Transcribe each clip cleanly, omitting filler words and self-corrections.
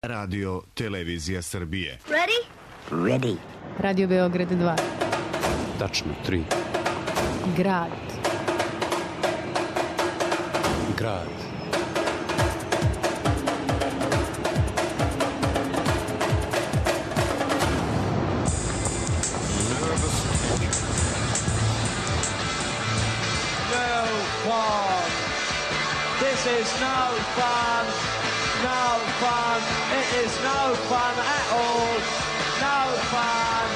Radio Televizija Srbije. Ready? Ready. Radio Beograd 2. Tačno 3. Grad. Grad. This is no fun, no fun, it is no fun at all, no fun.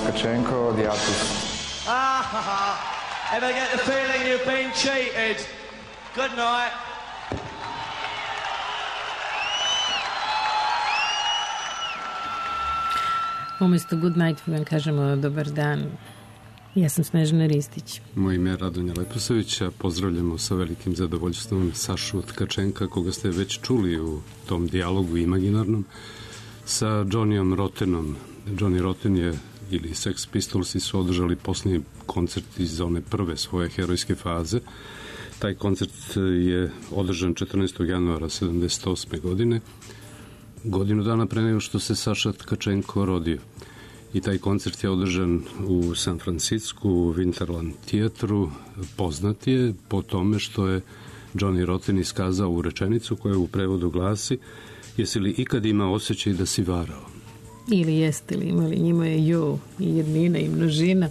Tkachenko, the artist. Ever get the feeling you've been cheated? Good night. Umesto good night vam kažemo dobar dan. Ja sam Snežana Ristić. Moje ime je Radonja Leposavića. Pozdravljamo sa velikim zadovoljstvom Sašu Tkačenka, koga ste već čuli u tom dijalogu imaginarnom sa Johnnyom Rottenom. Johnny Rotten je ili Sex Pistolsi su održali posljednji koncert iz one prve svoje herojske faze. Taj koncert je održan 14. januara 1978. godine, godinu dana pre nego što se Saša Tkačenko rodio. I taj koncert je održan u San Francisku, u Winterland teatru. Poznat je po tome što je Johnny Rotten iskazao u rečenicu koja u prevodu glasi: jesi li ikad imao osjećaj da si varao? Ili jeste li imali, njima je ju i jednina i množina.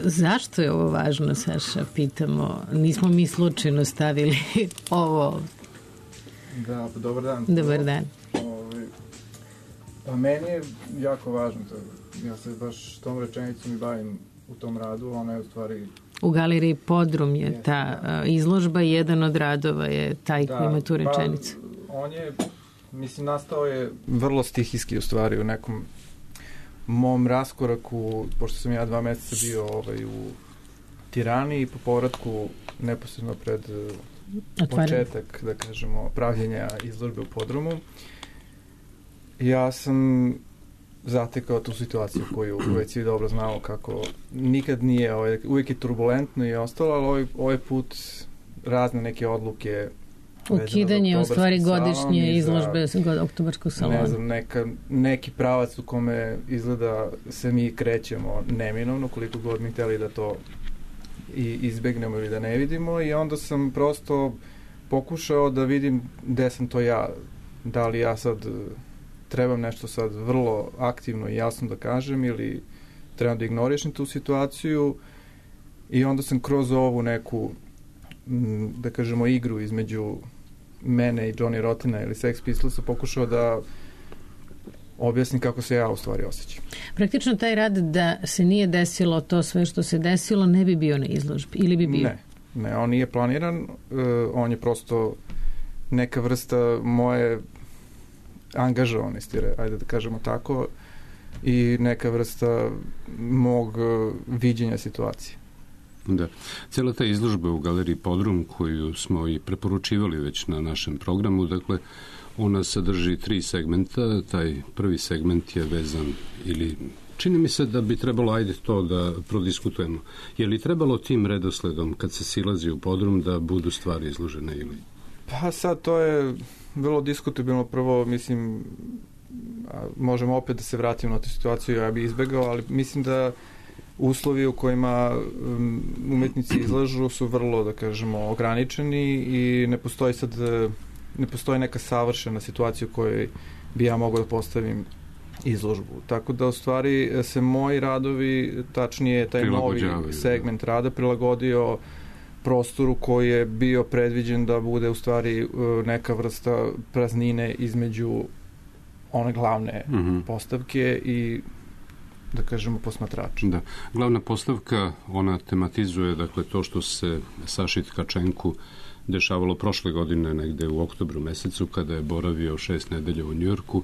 Zašto je ovo važno, Saša, pitamo? Nismo mi slučajno stavili ovo. Da, pa dobar dan. Dobar dan. Pa meni je jako važno to. Ja se baš tom rečenicom i bavim u tom radu, ona je u stvari... U galeriji Podrum je ta izložba, jedan od radova je taj koji ima tu rečenicu. Pa on je... Mislim, nastao je vrlo stihijski u stvari u nekom mom raskoraku, pošto sam ja 2 meseca bio u Tirani i po povratku neposredno pred početak, da kažemo, pravljenja izložbe u Podrumu. Ja sam zatekao tu situaciju koju već svi dobro znamo kako nikad nije, uvijek je turbulentno i ostalo, ali ovaj put razne neke odluke ukidanje u stvari godišnje izložbe oktobarskog salona. Ne znam, neki pravac u kome izgleda se mi krećemo neminovno, koliko god mi hteli da to i izbegnemo ili da ne vidimo, i onda sam prosto pokušao da vidim gde sam to ja, da li ja sad trebam nešto sad vrlo aktivno i jasno da kažem ili trebam da ignorišem tu situaciju, i onda sam kroz ovu neku, da kažemo, igru između mene i Johnny Rottena ili Sex Pistolsa pokušao da objasnim kako se ja u stvari osjećam. Praktično taj rad da se nije desilo to sve što se desilo ne bi bio na izložbi, ili bi bio? Ne, on nije planiran, on je prosto neka vrsta moje angažovanosti, ajde da kažemo tako, i neka vrsta mog viđenja situacije. Da. Cijela ta izložba u galeriji Podrum, koju smo i preporučivali već na našem programu, dakle, ona sadrži 3 segmenta. Taj prvi segment je vezan, ili čini mi se da bi trebalo, ajde to da prodiskutujemo. Je li trebalo tim redosledom, kad se silazi u Podrum, da budu stvari izložene ili? Pa sad, to je vrlo diskutabilno. Prvo, mislim, možemo opet da se vratimo na tu situaciju, ja bih izbegao, ali mislim da uslovi u kojima umetnici izlažu su vrlo, da kažemo, ograničeni i ne postoji neka savršena situacija u kojoj bi ja mogao da postavim izložbu. Tako da, u stvari, se moji radovi, tačnije taj novi segment rada, prilagodio prostoru koji je bio predviđen da bude u stvari neka vrsta praznine između one glavne postavke i, da kažemo, posmatrača. Da. Glavna postavka, ona tematizuje, dakle, to što se Saši Tkačenku dešavalo prošle godine, negde u oktobru mesecu, kada je boravio 6 nedelja u Njujorku.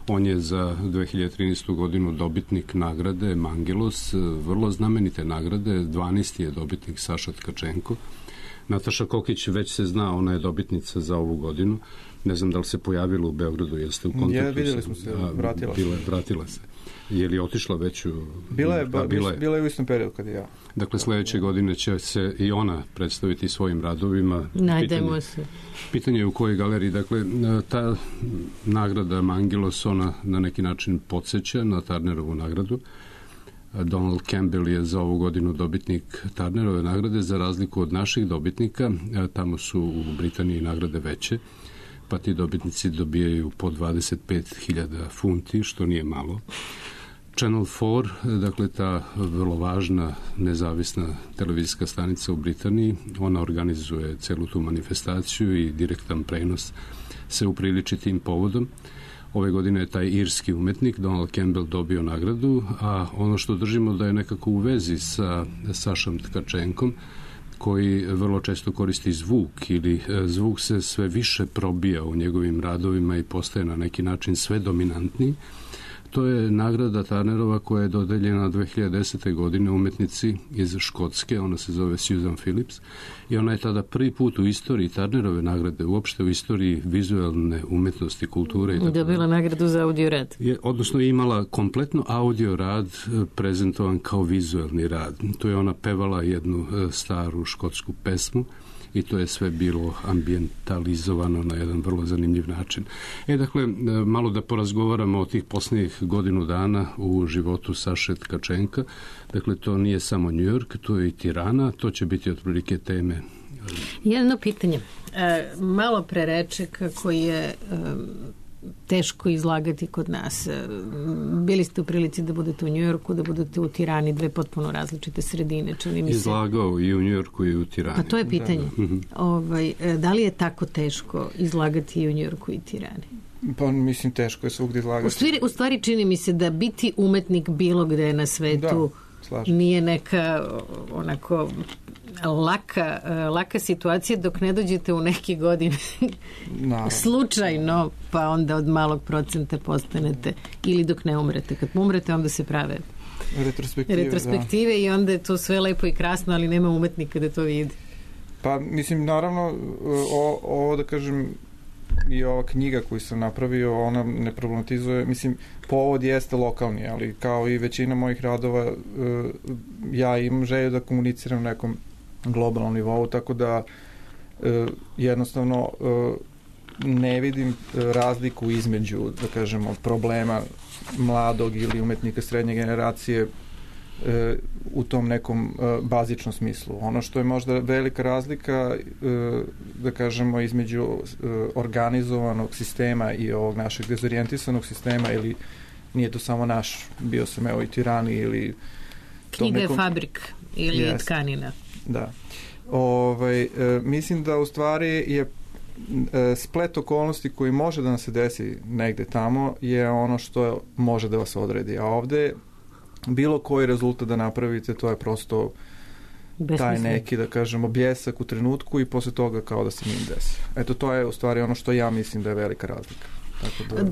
On je za 2013. godinu dobitnik nagrade Mangelos, vrlo znamenite nagrade, 12. je dobitnik Saša Tkačenko. Nataša Kokić već se zna, ona je dobitnica za ovu godinu. Ne znam da li se pojavila u Beogradu, jeste u kontaktu? Vidjeli smo se, vratila se. Je li otišla već u... Bila je u istom periodu kad i ja. Dakle, sledeće godine će se i ona predstaviti svojim radovima. Najdemo se. Pitanje je u kojoj galeriji. Dakle, ta nagrada Mangelos, ona na neki način podsjeća na Turnerovu nagradu. Donald Campbell je za ovu godinu dobitnik Turnerove nagrade, za razliku od naših dobitnika. Tamo su u Britaniji nagrade veće, pa ti dobitnici dobijaju po 25.000 funti, što nije malo. Channel 4, dakle ta vrlo važna nezavisna televizijska stanica u Britaniji, ona organizuje celu tu manifestaciju i direktan prenos se upriliči tim povodom. Ove godine je taj irski umetnik Donald Campbell dobio nagradu, a ono što držimo da je nekako u vezi sa Sašom Tkačenkom, koji vrlo često koristi zvuk ili zvuk se sve više probija u njegovim radovima i postaje na neki način sve dominantniji. To je nagrada Turnerova koja je dodeljena 2010. godine umetnici iz Škotske, ona se zove Susan Phillips i ona je tada prvi put u istoriji Turnerove nagrade, uopšte u istoriji vizualne umetnosti, kulture i tako. Dobila nagradu za audio rad. Odnosno imala kompletno audio rad prezentovan kao vizualni rad. Tu je ona pevala jednu staru škotsku pesmu i to je sve bilo ambientalizovano na jedan vrlo zanimljiv način. Dakle, malo da porazgovaramo o tih posljednjih godinu dana u životu Saše Tkačenka. Dakle, to nije samo New York, to je i Tirana, to će biti otprilike teme. Jedno pitanje. Malo pre reče kako je teško izlagati kod nas. Bili ste u prilici da budete u Njujorku, da budete u Tirani, dve potpuno različite sredine, čini mi se. Izlagao i u Njujorku i u Tirani. Pa to je pitanje. Da li je tako teško izlagati i u Njujorku i Tirani? Pa mislim teško je svugdje izlagati. U stvari čini mi se da biti umetnik bilo gde na svetu nije neka onako laka situacija dok ne dođete u neke godine slučajno, pa onda od malog procenta postanete, ili dok ne umrete. Kad umrete onda se prave retrospektive i onda je to sve lepo i krasno, ali nema umetnika da to vidi. Pa mislim naravno ovo da kažem i ova knjiga koju sam napravio, ona ne problematizuje, mislim povod jeste lokalni, ali kao i većina mojih radova ja imam želju da komuniciram na nekom globalnom nivou, tako da jednostavno ne vidim razliku između, da kažemo, problema mladog ili umetnika srednje generacije u tom nekom bazičnom smislu. Ono što je možda velika razlika, da kažemo, između organizovanog sistema i ovog našeg dezorijentisanog sistema, ili nije to samo naš, bio sam evo i Tirani ili... Knjiga je fabrik ili je tkanina. Da. Mislim da u stvari je splet okolnosti koji može da nam se desi negde tamo je ono što može da vas odredi. A ovde bilo koji rezultat da napravite, to je prosto taj neki, da kažemo, bljesak u trenutku i posle toga kao da se njim desi. Eto, to je u stvari ono što ja mislim da je velika razlika. Tako da...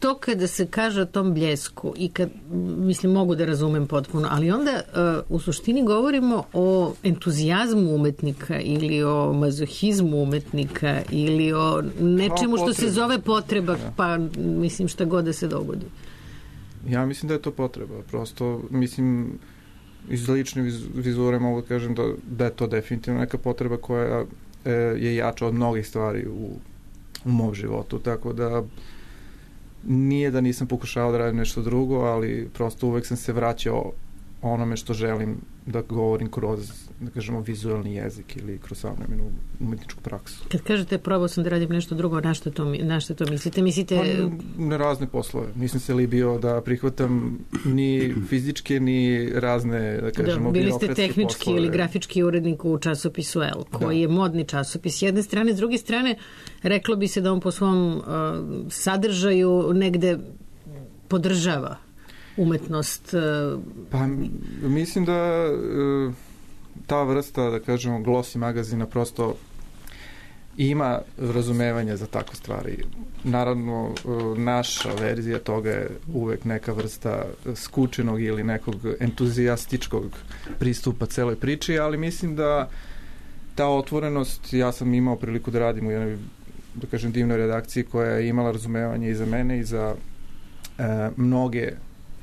To kada se kaže o tom bljesku i kad, mislim, mogu da razumem potpuno, ali onda u suštini govorimo o entuzijazmu umetnika ili o mazohizmu umetnika ili o nečemu što se zove potreba, pa mislim šta god da se dogodi. Ja mislim da je to potreba. Prosto, mislim, iz lične vizure mogu da kažem da je to definitivno neka potreba koja je jača od mnogih stvari u mom životu, tako da nije da nisam pokušao da radim nešto drugo, ali prosto uvek sam se vraćao onome što želim da govorim kroz, da kažemo, vizualni jezik ili kroz savremenu umetničku praksu. Kad kažete probao sam da radim nešto drugo, na što to mislite? Pa na razne poslove. Nisam se libio da prihvatam ni fizičke, ni razne, da kažemo, bili ste tehnički poslove. Ili grafički urednik u časopisu El, koji je modni časopis. S jedne strane, s druge strane, reklo bi se da on po svom sadržaju negde podržava umetnost. Pa mislim da ta vrsta, da kažemo, glossy magazina prosto ima razumevanja za takve stvari. Naravno, naša verzija toga je uvek neka vrsta skučenog ili nekog entuzijastičkog pristupa celoj priči, ali mislim da ta otvorenost, ja sam imao priliku da radim u jednoj, da kažem, divnoj redakciji koja je imala razumevanje i za mene i za mnoge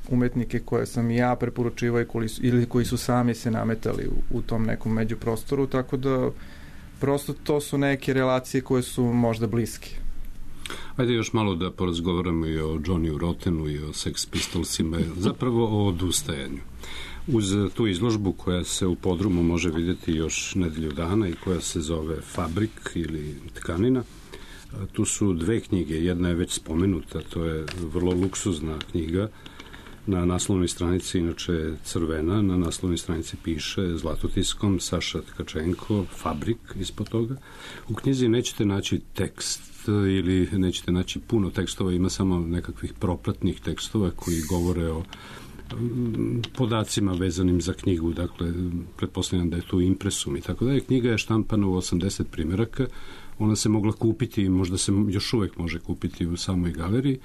umetnike koje sam ja preporučivao ili koji su sami se nametali u tom nekom međuprostoru, tako da prosto to su neke relacije koje su možda bliske. Ajde još malo da porazgovaramo i o Johnny Rottenu i o Sex Pistolsima, zapravo o odustajanju. Uz tu izložbu koja se u podrumu može vidjeti još nedelju dana i koja se zove Fabrik ili Tkanina, tu su dve knjige, jedna je već spomenuta, to je vrlo luksuzna knjiga, na naslovnoj stranici inače crvena, na naslovnoj stranici piše zlatotiskom Saša Tkačenko, Fabrik ispod toga. U knjizi nećete naći tekst ili nećete naći puno tekstova, ima samo nekakvih propratnih tekstova koji govore o podacima vezanim za knjigu, dakle, pretpostavljam da je tu impresum i tako da je. Knjiga je štampana u 80 primjeraka, ona se mogla kupiti i možda se još uvek može kupiti u samoj galeriji.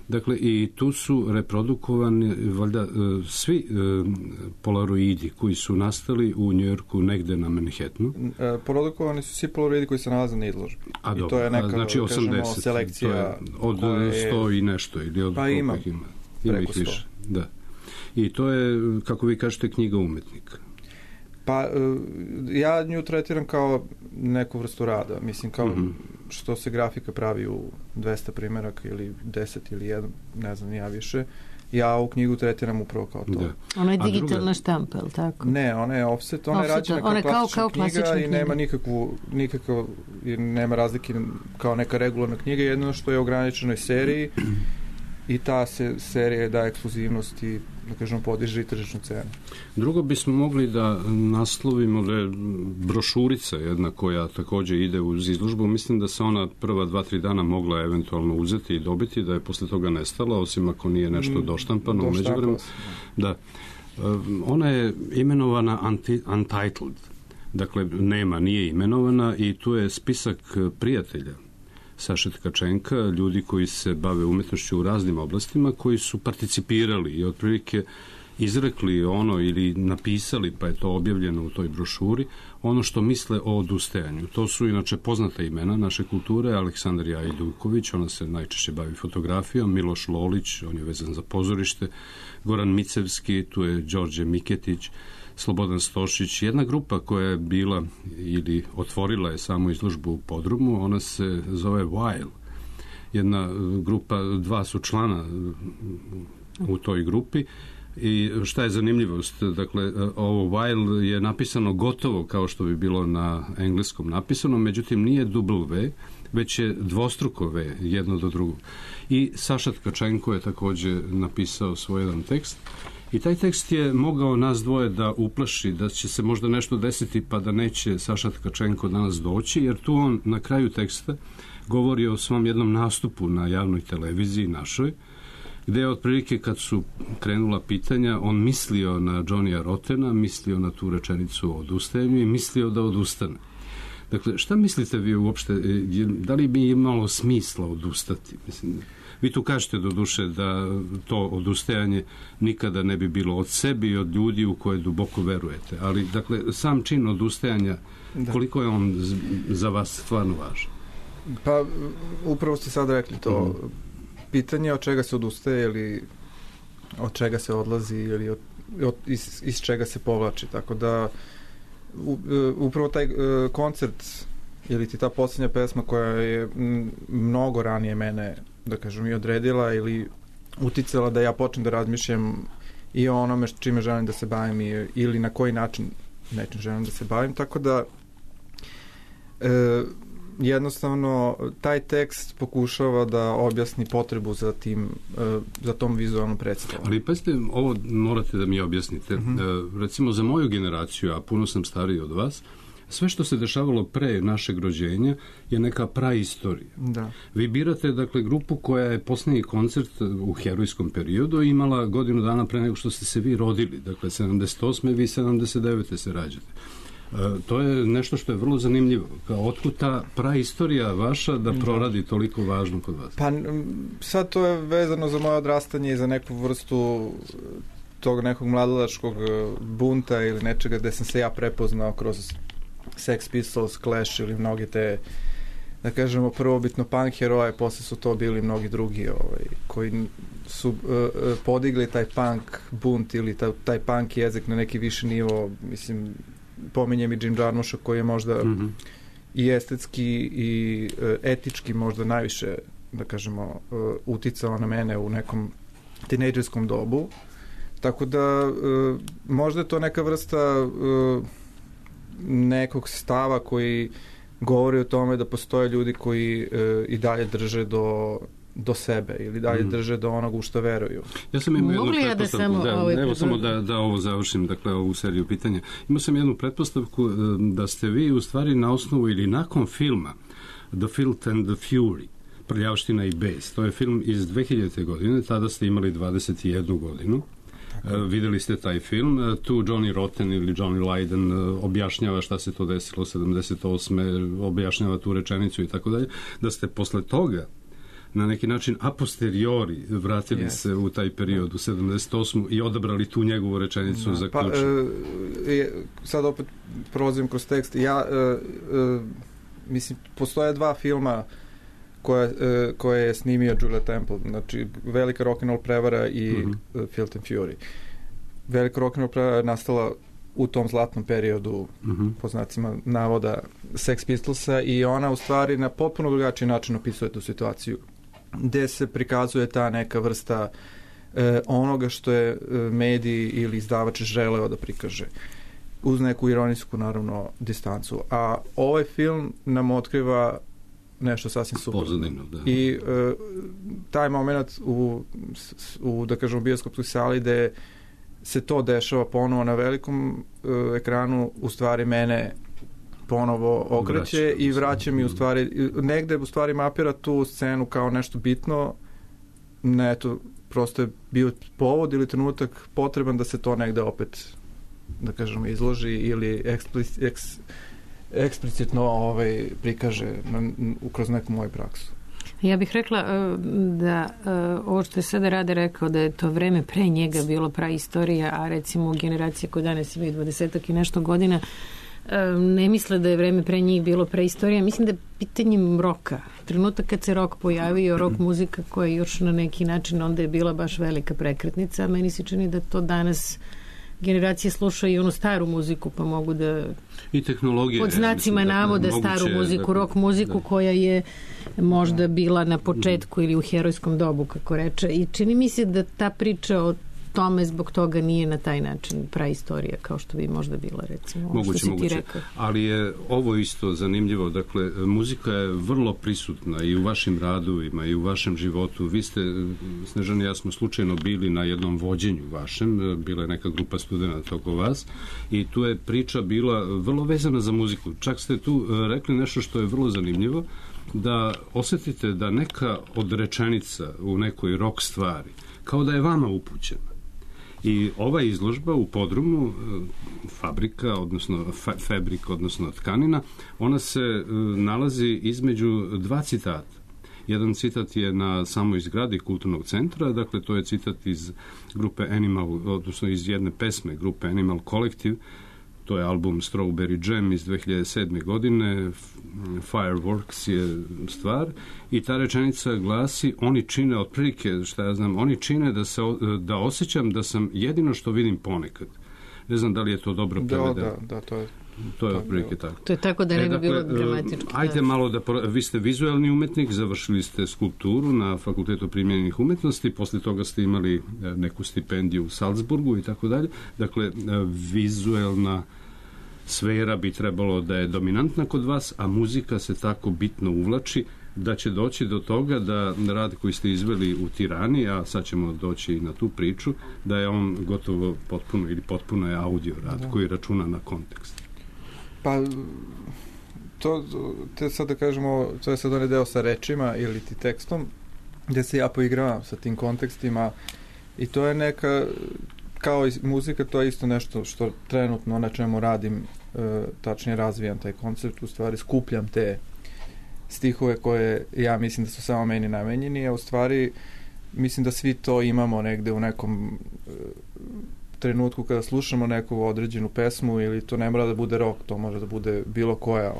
Dakle, i tu su reprodukovani valjda svi polaroidi koji su nastali u Njujorku negde na Manhattanu. Produkovani su svi polaroidi koji se nalaze na izložbi. I to je neka, znači 80, selekcija od 100 i nešto ili od pa ima ih više. Da. I to je, kako vi kažete, knjiga umetnika. Pa ja nju tretiram kao neku vrstu rada, mislim kao što se grafika pravi u 200 primjeraka ili 10 ili 1, ne znam, ja više. Ja ovu knjigu tretiram upravo kao to. Da. Ona je digitalna štampa, ili tako? Ne, ona je offset, ona je rađena kao klasična knjiga i nema nikakvu nema razlike kao neka regularna knjiga, jedno što je u ograničenoj seriji i ta serija daje ekskluzivnost i, da kažemo, podiže i tržišnu cenu. Drugo bismo mogli da naslovimo da je brošurica jedna koja također ide uz izložbu. Mislim da se ona prva 2-3 dana mogla eventualno uzeti i dobiti, da je posle toga nestala, osim ako nije nešto doštampano u međuvremenu. Da. Ona je imenovana Untitled. Dakle, nije imenovana i tu je spisak prijatelja Saše Tkačenka, ljudi koji se bave umetnošću u raznim oblastima, koji su participirali i otprilike izrekli ono ili napisali, pa je to objavljeno u toj brošuri, ono što misle o odustajanju. To su inače poznata imena naše kulture, Aleksandrija Ajduković, ona se najčešće bavi fotografijom, Miloš Lolić, on je vezan za pozorište, Goran Micevski, tu je Đorđe Miketić, Slobodan Stošić, jedna grupa koja je bila ili otvorila je samo izložbu u podrumu, ona se zove While. Jedna grupa, dva su člana u toj grupi i šta je zanimljivost, dakle, ovo While je napisano gotovo kao što bi bilo na engleskom napisano, međutim nije W, već je dvostruko V, jedno do drugog. I Saša Tkačenko je također napisao svoj jedan tekst. I taj tekst je mogao nas dvoje da uplaši, da će se možda nešto desiti pa da neće Saša Tkačenko danas doći, jer tu on na kraju teksta govori o svom jednom nastupu na javnoj televiziji našoj, gde je otprilike kad su krenula pitanja, on mislio na Johnnya Rottena, mislio na tu rečenicu o odustajanju i mislio da odustane. Dakle, šta mislite vi uopšte, da li bi imalo smisla odustati? Mislim, vi tu kažete do duše da to odustajanje nikada ne bi bilo od sebi i od ljudi u koje duboko verujete. Ali, dakle, sam čin odustajanja, koliko je on za vas stvarno važan? Pa, upravo ste sad rekli to. Pitanje od čega se odustaje ili od čega se odlazi ili iz čega se povlači. Tako da, upravo taj koncert ili ti ta posljednja pesma koja je mnogo ranije mene, da kažem, i odredila ili uticala da ja počnem da razmišljam i o onome čime želim da se bavim ili na koji način nečim želim da se bavim, tako da jednostavno taj tekst pokušava da objasni potrebu za tom vizualnom predstavom. Ali pazite, ovo morate da mi objasnite. Recimo za moju generaciju, a puno sam stariji od vas, sve što se dešavalo pre našeg rođenja je neka praistorija. Da. Vi birate, dakle, grupu koja je posljednji koncert u herojskom periodu imala godinu dana pre nego što ste se vi rodili. Dakle, 78. vi 79. se rađate. To je nešto što je vrlo zanimljivo. Otkud ta praistorija vaša da proradi toliko važno kod vas? Pa sad to je vezano za moje odrastanje i za neku vrstu tog nekog mladalačkog bunta ili nečega gde sam se ja prepoznao kroz Sex Pistols, Clash ili mnoge te, da kažemo, prvobitno punk heroje, posle su to bili mnogi drugi koji su podigli taj punk bunt ili taj punk jezik na neki viši nivo. Mislim, pominjem i Jim Jarmusha koji je možda i estetski i etički možda najviše, da kažemo, uticao na mene u nekom tinejdžerskom dobu. Tako da možda je to neka vrsta nekog stava koji govori o tome da postoje ljudi koji i dalje drže do sebe ili dalje drže do onog u što veruju. Ja sam imao jednu pretpostavku, evo samo da ovo završim, dakle ovu seriju pitanja. Imao sam jednu pretpostavku da ste vi u stvari na osnovu ili nakon filma The Filth and the Fury, Prljavština i bes, to je film iz 2000. godine, tada ste imali 21 godinu. Videli ste taj film, tu Johnny Rotten ili Johnny Lydon objašnjava šta se to desilo 78. objašnjava tu rečenicu i tako dalje, da ste posle toga na neki način a posteriori vratili se u taj period u 78. i odabrali tu njegovu rečenicu za ključ. Sad opet prolazim kroz tekst. Mislim, postoje dva filma koje je snimio Julia Temple, znači Velika rock'n'roll prevara i Filth and Fury. Velika rock'n'roll prevara je nastala u tom zlatnom periodu, po znacima navoda, Sex Pistolsa, i ona u stvari na potpuno drugačiji način opisuje tu situaciju, gde se prikazuje ta neka vrsta onoga što je mediji ili izdavač želeo da prikaže, uz neku ironijsku, naravno, distancu. A ovaj film nam otkriva nešto sasvim suprotno. I taj moment u da kažemo, bioskopskoj sali gde se to dešava ponovo na velikom ekranu, u stvari mene ponovo okreće i vraća mi u stvari, negde u stvari mapira tu scenu kao nešto bitno. Ne, to prosto je bio povod ili trenutak potreban da se to negde opet, da kažemo, izloži ili eksplicitno prikaže kroz neku moju praksu. Ja bih rekla da ovo što je sada Rade rekao, da je to vreme pre njega bilo praistorija, a recimo generacije koje danas imaju 20 i nešto godina ne misle da je vreme pre njih bilo preistorija. Mislim da je pitanjem roka. Trenutak kad se rok pojavio, rock muzika koja je još na neki način, onda je bila baš velika prekretnica. Meni se čini da to danas generacije slušaju i onu staru muziku, pa mogu da i tehnologije, pod znacima navoda staru muziku, rock muziku koja je možda bila na početku ili u herojskom dobu, kako reče. I čini mi se da ta priča o tome zbog toga nije na taj način praistorija, kao što bi možda bila, recimo. Moguće. Ali je ovo isto zanimljivo. Dakle, muzika je vrlo prisutna i u vašim radovima i u vašem životu. Vi ste, Snežana i ja smo slučajno bili na jednom vođenju vašem, bila je neka grupa studenata oko vas i tu je priča bila vrlo vezana za muziku. Čak ste tu rekli nešto što je vrlo zanimljivo, da osetite da neka od rečenica u nekoj rock stvari kao da je vama upućena. I ova izložba u podrumu, fabrika, odnosno fabrik, odnosno tkanina, ona se nalazi između dva citata. Jedan citat je na samoj zgradi kulturnog centra, dakle to je citat iz grupe Animal, odnosno iz jedne pesme grupe Animal Collective, to je album Strawberry Jam iz 2007. godine, Fireworks je stvar, i ta rečenica glasi: oni čine otprilike, šta ja znam, oni čine da osjećam da sam jedino što vidim ponekad. Ne znam da li je to dobro prevedeno. Da, to je otprilike tako. To je tako da ne bi bilo dramatički. Ajde malo vi ste vizualni umetnik, završili ste skulpturu na Fakultetu primjenjenih umetnosti, posle toga ste imali neku stipendiju u Salzburgu i tako dalje. Dakle, vizualna sfera bi trebalo da je dominantna kod vas, a muzika se tako bitno uvlači da će doći do toga da rad koji ste izveli u Tirani, a sad ćemo doći na tu priču, da je on gotovo potpuno ili potpuno je audio rad koji računa na kontekst. Pa to sad da kažemo, to je sad onaj deo sa rečima ili ti tekstom, gde se ja poigravam sa tim kontekstima i to je neka kao i muzika, to je isto nešto što trenutno na čemu radim, tačnije razvijam taj koncept, u stvari skupljam te stihove koje ja mislim da su samo meni namenjeni, a u stvari mislim da svi to imamo negde u nekom trenutku kada slušamo neku određenu pesmu, ili to ne mora da bude rock, to može da bude bilo koja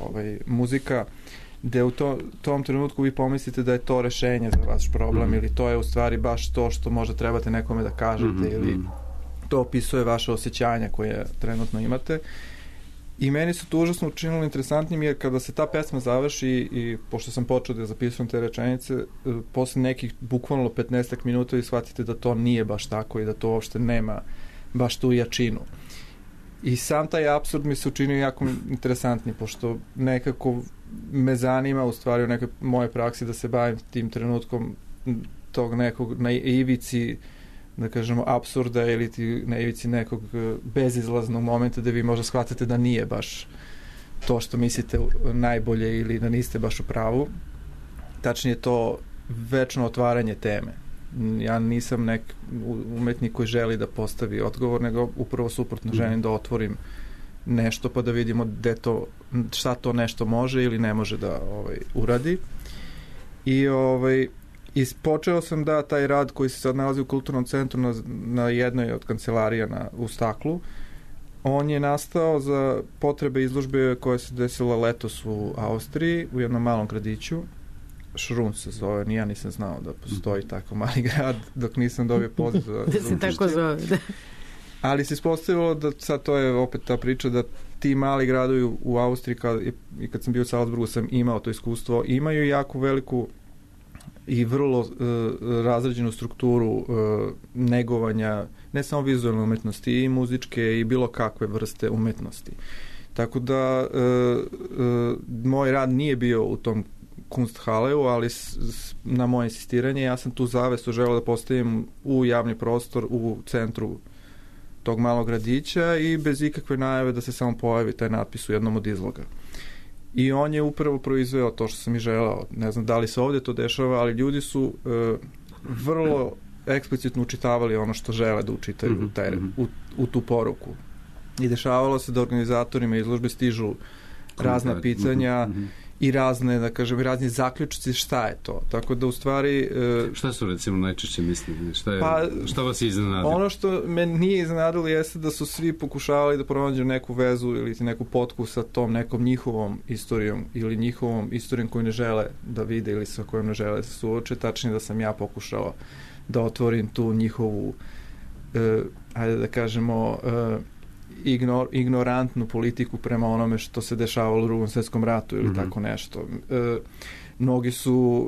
muzika, gde u tom trenutku vi pomislite da je to rešenje za vaš problem, ili to je u stvari baš to što možda trebate nekome da kažete, ili to opisuje vaše osjećanja koje trenutno imate. I meni su to užasno učinilo interesantnim, jer kada se ta pesma završi i pošto sam počeo da zapisujem te rečenice, posle nekih bukvalno 15 minuta vi shvatite da to nije baš tako i da to uopšte nema baš tu jačinu. I sam taj apsurd mi se učinio jako interesantni, pošto nekako me zanima u stvari u nekoj moje praksi da se bavim tim trenutkom tog nekog na ivici, da kažemo, apsurda, ili na ivici nekog bezizlaznog momenta da vi možda shvatate da nije baš to što mislite najbolje ili da niste baš u pravu. Tačnije to večno otvaranje teme. Ja nisam umetnik koji želi da postavi odgovor, nego upravo suprotno želim da otvorim nešto pa da vidimo šta to nešto može ili ne može da uradi. I počeo sam da taj rad koji se sad nalazi u Kulturnom centru na jednoj od kancelarija u Staklu, on je nastao za potrebe izložbe koja se desila letos u Austriji, u jednom malom gradiću. Šrun se zove, ni ja nisam znao da postoji tako mali grad dok nisam dobio poziv da se tako zove, da. Ali se ispostavilo da sad to je opet ta priča da ti mali gradovi u Austriji i kad sam bio u Salzburgu sam imao to iskustvo, imaju jako veliku i vrlo razrađenu strukturu negovanja ne samo vizualne umetnosti, i muzičke i bilo kakve vrste umetnosti. Tako da moj rad nije bio u tom Kunsthaleu, ali na moje insistiranje ja sam tu zavesu želeo da postavim u javni prostor u centru tog malog gradića i bez ikakve najave da se samo pojavi taj natpis u jednom od izloga. I on je upravo proizveo to što sam i želeo. Ne znam da li se ovdje to dešava, ali ljudi su vrlo eksplicitno učitavali ono što žele da učitaju u tu poruku. I dešavalo se da organizatorima izložbe stižu razna pitanja i razne, da kažem, razni zaključci šta je to. Tako da u stvari... Šta su recimo najčešće mislili? Šta vas je iznenadilo? Ono što me nije iznenadilo jeste da su svi pokušavali da pronađu neku vezu ili neku potku sa tom nekom njihovom istorijom ili njihovom istorijom koju ne žele da vide ili sa kojom ne žele da se suoče. Tačnije da sam ja pokušao da otvorim tu njihovu ajde da kažemo ignorantnu politiku prema onome što se dešavalo u Drugom svjetskom ratu ili tako nešto. Mnogi su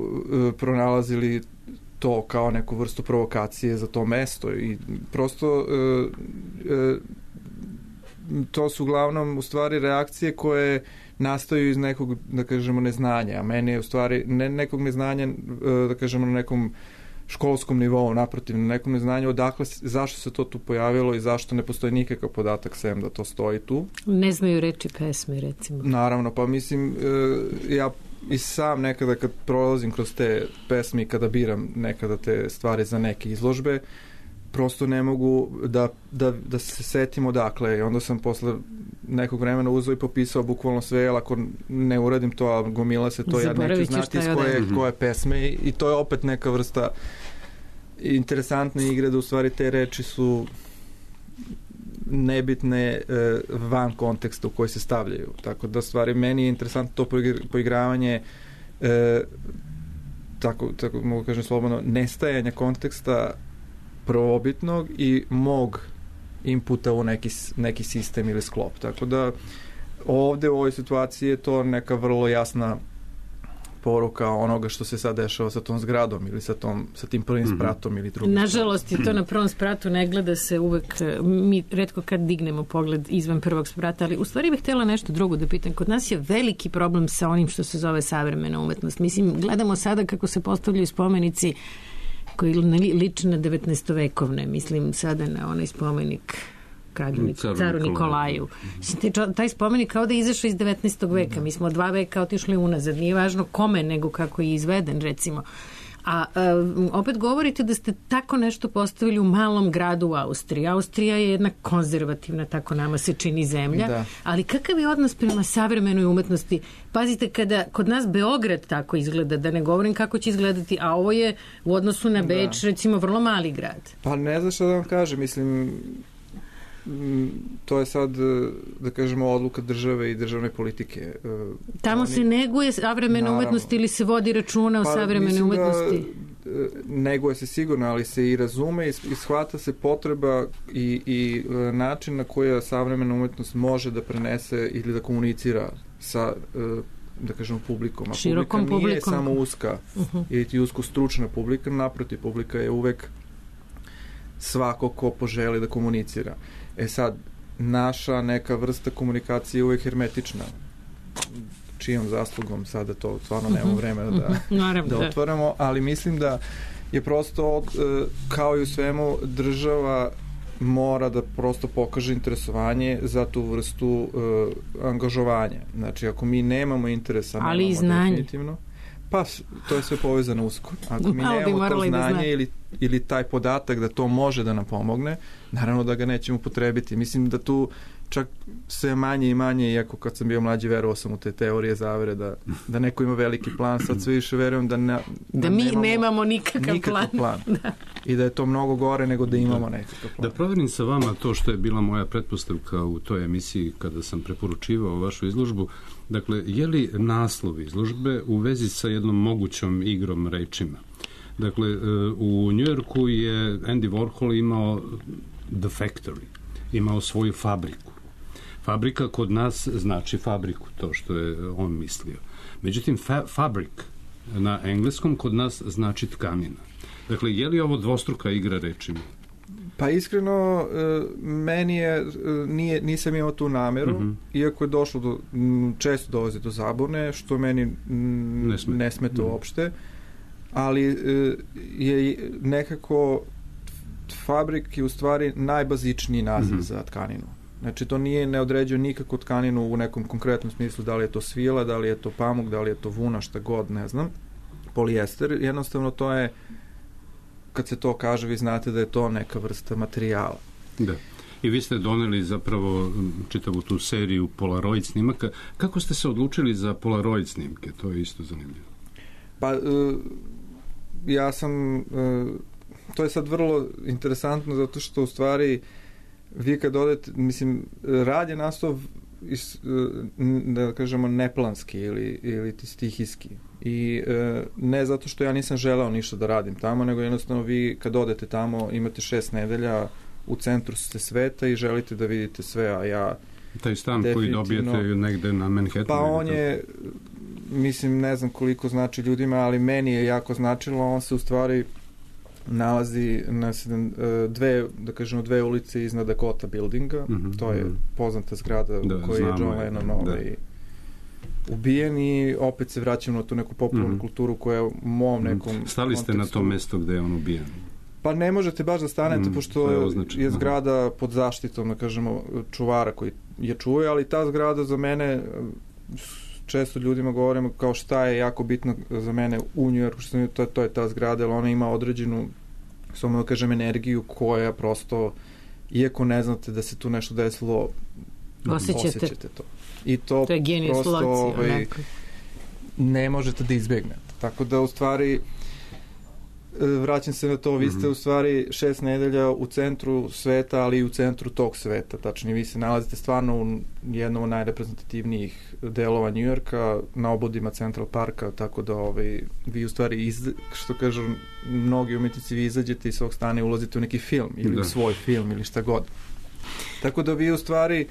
pronalazili to kao neku vrstu provokacije za to mesto i prosto to su uglavnom u stvari reakcije koje nastaju iz nekog, da kažemo, neznanja. A meni je u stvari ne nekog neznanja, da kažemo, na nekom školskom nivou, naprotiv, na nekom neznanju odakle, zašto se to tu pojavilo i zašto ne postoji nikakav podatak sem da to stoji tu. Ne znaju reči pesme, recimo. Naravno, pa mislim, ja i sam nekada kad prolazim kroz te pesme i kada biram nekada te stvari za neke izložbe, prosto ne mogu da se setim odakle. I onda sam posle nekog vremena uzeo i popisao bukvalno sve, ali ako ne uradim to, a gomila se to, ja neću znati iz koje pesme i to je opet neka vrsta interesantne igre da u stvari te reči su nebitne van konteksta u koji se stavljaju. Tako da stvari meni je interesantno to poigravanje tako mogu kažem slobodno, nestajanja konteksta prvobitnog i mog inputa u neki sistem ili sklop. Tako da ovde u ovoj situaciji je to neka vrlo jasna poruka onoga što se sad dešava sa tom zgradom ili sa tim prvim spratom ili drugim. Nažalost je to na prvom spratu, ne gleda se uvek, mi retko kad dignemo pogled izvan prvog sprata, ali u stvari bih htjela nešto drugo da pitam. Kod nas je veliki problem sa onim što se zove savremena umetnost. Mislim, gledamo sada kako se postavljaju spomenici koji liče na 19. Mislim sada na onaj spomenik caru Nikolaju. Taj spomenik kao da je izašao iz 19. veka. Mi smo 2 veka otišli unazad. Nije važno kome, nego kako je izveden, recimo. A opet govorite da ste tako nešto postavili u malom gradu u Austriji. Austrija je jedna konzervativna, tako nama se čini, zemlja. Da. Ali kakav je odnos prema savremenoj umetnosti? Pazite, kada kod nas Beograd tako izgleda, da ne govorim kako će izgledati, a ovo je u odnosu na Beč, recimo, vrlo mali grad. Pa ne znam šta da vam kažem, mislim, to je sad, da kažemo, odluka države i državne politike. Tamo se neguje savremena umetnost ili se vodi računa o savremenoj umetnosti? Neguje se sigurno, ali se i razume i shvata se potreba i način na koji savremena umetnost može da prenese ili da komunicira sa, da kažemo, publikom. A širokom publika nije publikom. samo uska ili ti usko stručna publika, naprotiv, publika je uvek svako ko poželi da komunicira. Sad, naša neka vrsta komunikacije je uvek hermetična. Čijom zaslugom sada to stvarno nemamo vremena da otvoramo, ali mislim da je prosto, kao i u svemu, država mora da prosto pokaže interesovanje za tu vrstu angažovanja. Znači, ako mi nemamo interesa, ali i znanje. Definitivno, pa to je sve povezano usko. Ako mi nemamo to znanje ili taj podatak da to može da nam pomogne, naravno da ga nećemo potrebiti. Mislim da tu čak sve manje i manje, iako kad sam bio mlađi verovao sam u te teorije zavere da neko ima veliki plan, sad sve više verujem da mi nemamo nikakav plan. Da. I da je to mnogo gore nego da imamo nekakav plan. Da proverim sa vama to što je bila moja pretpostavka u toj emisiji kada sam preporučivao vašu izložbu. Dakle, je li naslov izložbe u vezi sa jednom mogućom igrom rečima? Dakle, u Njujorku je Andy Warhol imao The Factory, imao svoju fabriku. Fabrika kod nas znači fabriku, to što je on mislio. Međutim, fabric na engleskom kod nas znači tkanina. Dakle, je li ovo dvostruka igra rečima? Pa iskreno, meni je, nisam imao tu nameru, iako je došlo često dolazi do zabune, što meni ne smeta uopšte, ali je nekako fabrik je u stvari najbazičniji naziv za tkaninu. Znači, to ne određuje nikako tkaninu u nekom konkretnom smislu, da li je to svila, da li je to pamuk, da li je to vuna, šta god, ne znam, polijester. Jednostavno, to je, kad se to kaže, vi znate da je to neka vrsta materijala. Da. I vi ste doneli zapravo čitavu tu seriju Polaroid snimaka. Kako ste se odlučili za Polaroid snimke? To je isto zanimljivo. Pa, ja sam... To je sad vrlo interesantno zato što u stvari vi kad odete, mislim, rad je nastao da kažemo neplanski ili stihijski i ne zato što ja nisam želeo ništa da radim tamo, nego jednostavno vi kad odete tamo imate 6 nedelja, u centru ste sveta i želite da vidite sve, a ja taj stan koji dobijete negde na Manhattanu. Pa on je, mislim, ne znam koliko znači ljudima, ali meni je jako značilo, on se u stvari nalazi na dve ulice iznad Dakota Buildinga, to je poznata zgrada u kojoj je John Lennon ubijen i opet se vraćamo na tu neku popularnu kulturu koja je u mom nekom Stali ste kontekstu. Na to mesto gde je on ubijen? Pa ne možete baš da stanete, pošto je zgrada pod zaštitom, da kažemo, čuvara koji je čuje, ali ta zgrada za mene, često ljudima govorimo kao šta je jako bitno za mene u Njujorku, to je ta zgrada, jer ona ima određenu, samo da kažem, energiju koja prosto, iako ne znate da se tu nešto desilo, osjećate to. I to je prosto ne možete da izbegnete. Tako da u stvari vraćam se na to, vi ste u stvari 6 nedelja u centru sveta, ali i u centru tog sveta. Tačnije, vi se nalazite stvarno u jednom od najreprezentativnijih delova Njujorka, na obodima Central Parka, tako da vi u stvari, što kažu mnogi umetnici, vi izađete iz svog stana i ulazite u neki film, ili u svoj film, ili šta god. Tako da vi u stvari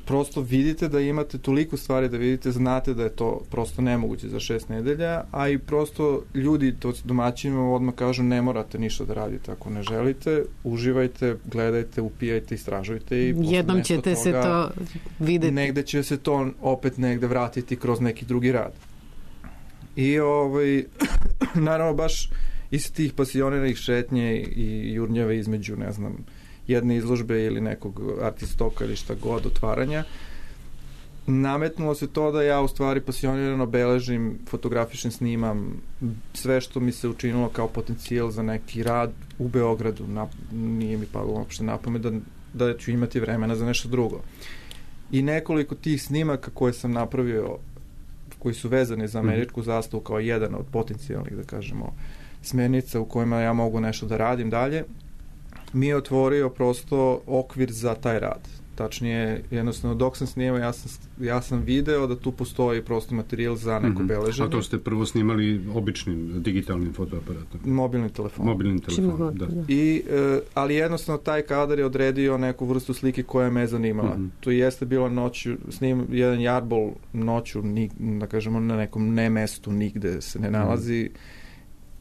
prosto vidite da imate toliko stvari da vidite, znate da je to prosto nemoguće za 6 nedelja, a i prosto ljudi, to domaćinima odmah kažu ne morate ništa da radite ako ne želite, uživajte, gledajte, upijajte, istražujte i jednom ćete toga, se to videti. Negde će se to opet negde vratiti kroz neki drugi rad. I naravno baš iz tih pasioniranih šetnje i jurnjave između, ne znam, jedne izložbe ili nekog artistoka ili šta god, otvaranja, nametnulo se to da ja u stvari pasionirano beležim, fotografišem, snimam sve što mi se učinilo kao potencijal za neki rad u Beogradu. Nije mi palo uopšte na pamet da ću imati vremena za nešto drugo. I nekoliko tih snimaka koje sam napravio, koji su vezani za američku zastavu kao jedan od potencijalnih, da kažemo, smernica u kojima ja mogu nešto da radim dalje, mi je otvorio prosto okvir za taj rad. Tačnije, jednostavno, dok sam snimao, ja sam video da tu postoji prosto materijal za neko beleženje. A to ste prvo snimali običnim digitalnim fotoaparatom? Mobilnim telefonom. Da. Ali jednostavno taj kadar je odredio neku vrstu slike koja me zanimala. To jeste bilo noću, jedan jarbol noću, da kažemo, na nekom ne mestu, nigde se ne nalazi,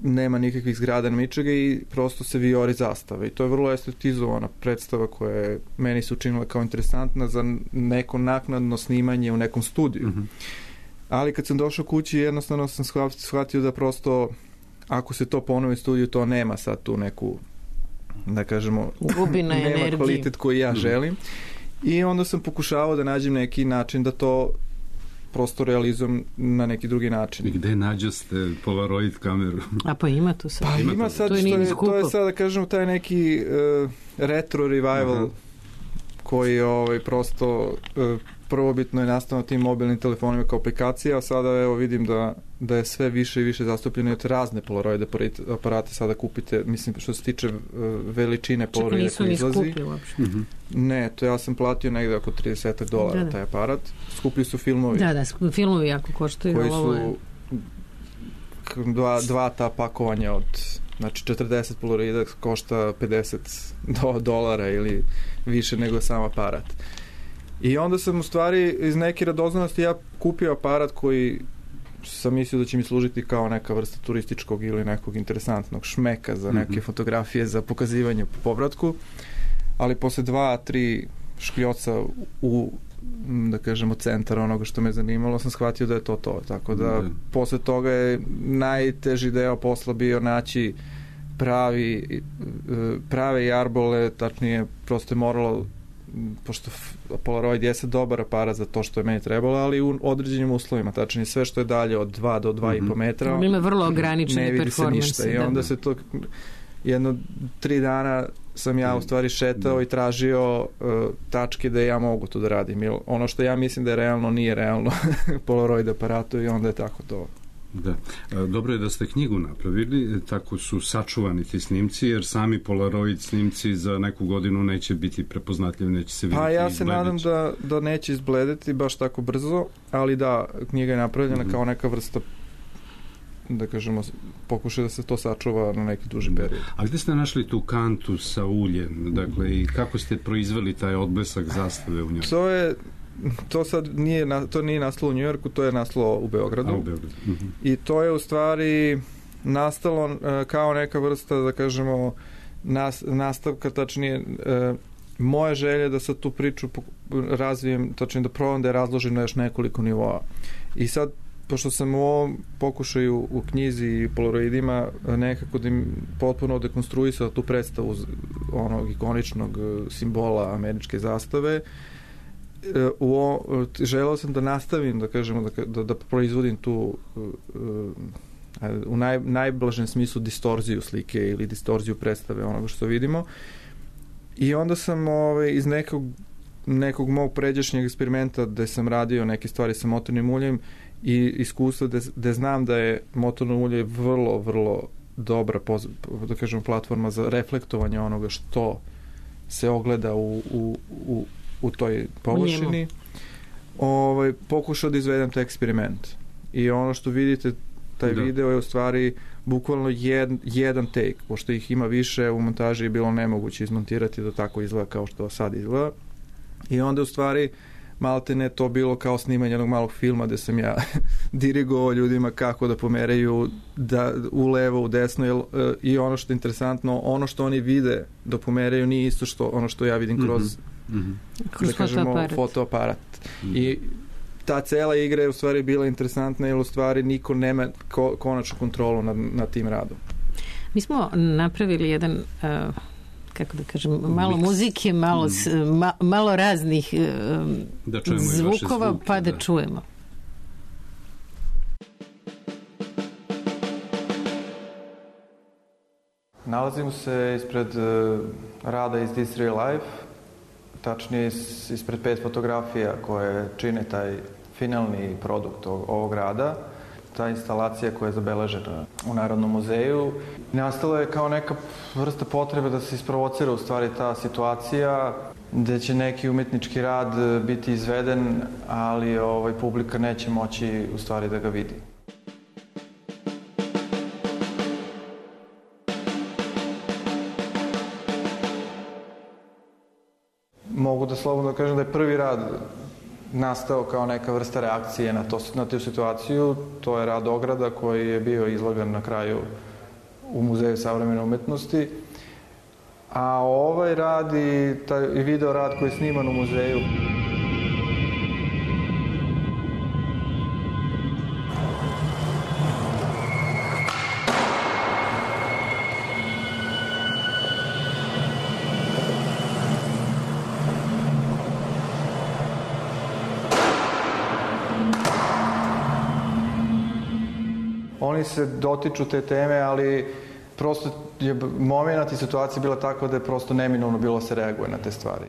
nema nikakvih zgrada na ničega i prosto se vijori zastava i to je vrlo estetizovana predstava koja je meni se učinila kao interesantna za neko naknadno snimanje u nekom studiju. Ali kad sam došao kući, jednostavno sam shvatio da prosto ako se to ponovi u studiju, to nema sad tu neku, da kažemo, nema kvalitet koji ja želim. I onda sam pokušavao da nađem neki način da to prosto realizujem na neki drugi način. I gde nađoste Polaroid kameru? A pa ima tu sad. Pa ima sad, to je sad, da kažem, taj neki retro revival koji prosto prvobitno je nastao na tim mobilnim telefonima kao aplikacija, a sada evo vidim da je sve više i više zastupljeno od razne Polaroid aparate sada kupite, mislim što se tiče veličine Polaroida koji izlazi. Čak nisu ni skupi uopšte. Ne, to ja sam platio negde oko $30 taj aparat. Skuplji su filmovi. Da, filmovi jako koštaju. Koji su dva ta pakovanja od, znači 40 Polaroida košta $50 ili više nego sam aparat. I onda sam u stvari iz neke radoznalosti ja kupio aparat koji sam mislio da će mi služiti kao neka vrsta turističkog ili nekog interesantnog šmeka za neke fotografije za pokazivanje po povratku, ali posle 2-3 škljoca u, da kažemo, centar onoga što me zanimalo, sam shvatio da je to. Tako da posle toga je najteži deo posla bio naći prave jarbole, tačnije prosto je moralo, pošto Polaroid jeste dobar aparat za to što je meni trebalo, ali u određenim uslovima, tačnije sve što je dalje od 2 do 2,5 metra, ima vrlo ograničene ne vidi se ništa. I onda se to 3 dana sam ja u stvari šetao i tražio tačke da ja mogu to da radim. Jer ono što ja mislim da je realno, nije realno Polaroid aparatu i onda je tako to. Da. Dobro je da ste knjigu napravili, tako su sačuvani ti snimci, jer sami Polaroid snimci za neku godinu neće biti prepoznatljivi, neće se vidjeti. Pa ja se nadam da neće izbledeti baš tako brzo, ali da, knjiga je napravljena kao neka vrsta, da kažemo, pokušaj da se to sačuva na neki duži period. A gde ste našli tu kantu sa uljem? Dakle, i kako ste proizveli taj odblesak zastave u njoj? To sad nije nastalo u Njujorku, to je nastalo u Beogradu. I to je u stvari nastalo kao neka vrsta, da kažemo, nastavka, tačnije moja želja da sad tu priču razvijem, tačnije da probam da je razložim na još nekoliko nivoa. I sad, pošto sam u ovom pokušaju u knjizi i Polaroidima nekako potpuno dekonstruisao tu predstavu onog ikoničnog simbola američke zastave, želeo sam da nastavim, da kažemo, da proizvodim tu u najblažem smislu distorziju slike ili distorziju predstave onoga što vidimo. I onda sam iz nekog mog pređašnjeg eksperimenta gde sam radio neke stvari sa motornim uljem i iskustva gde znam da je motorno ulje vrlo, vrlo dobra, da kažem, platforma za reflektovanje onoga što se ogleda u toj površini, pokušao da izvedem taj eksperiment. I ono što vidite, taj video je u stvari bukvalno jedan take, pošto ih ima više, u montaži je bilo nemoguće izmontirati da tako izgleda kao što sad izgleda. I onda u stvari maltene to bilo kao snimanje jednog malog filma gde sam ja dirigovao ljudima kako da pomeraju u levo, u desno, i ono što je interesantno, ono što oni vide da pomeraju nije isto što ono što ja vidim kroz da kažemo fotoaparat. I ta cela igra je u stvari bila interesantna jer u stvari niko nema konačnu kontrolu nad tim radom. Mi smo napravili jedan kako da kažem, malo muzike, malo raznih zvukova, zvuke, pa da čujemo. Nalazimo se ispred rada iz This Real Life, tačnije ispred 5 fotografija koje čine taj finalni produkt ovog rada. Ta instalacija koja je zabeležena u Narodnom muzeju nastala je kao neka vrsta potrebe da se isprovocira u stvari ta situacija gde će neki umetnički rad biti izveden, ali publika neće moći u stvari da ga vidi. Mogu da slobodno kažem da je prvi rad nastao kao neka vrsta reakcije na tu situaciju. To je rad Ograda koji je bio izlogan na kraju u Muzeju savremene umetnosti. A ovaj rad i video rad koji je sniman u muzeju oni se dotiču te teme, ali prosto je moment i situacija bila tako da je prosto neminovno bilo se reaguje na te stvari.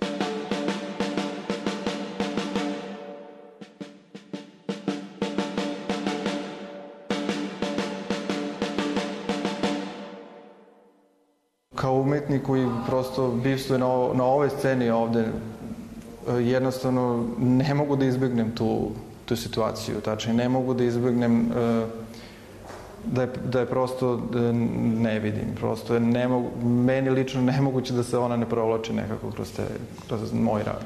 Kao umetnik koji prosto bivstvuje na ovoj sceni ovde, jednostavno ne mogu da izbjegnem tu situaciju, tačnije ne mogu da izbjegnem da je prosto ne vidim, prosto je meni lično nemoguće da se ona ne provlači nekako kroz moj rad.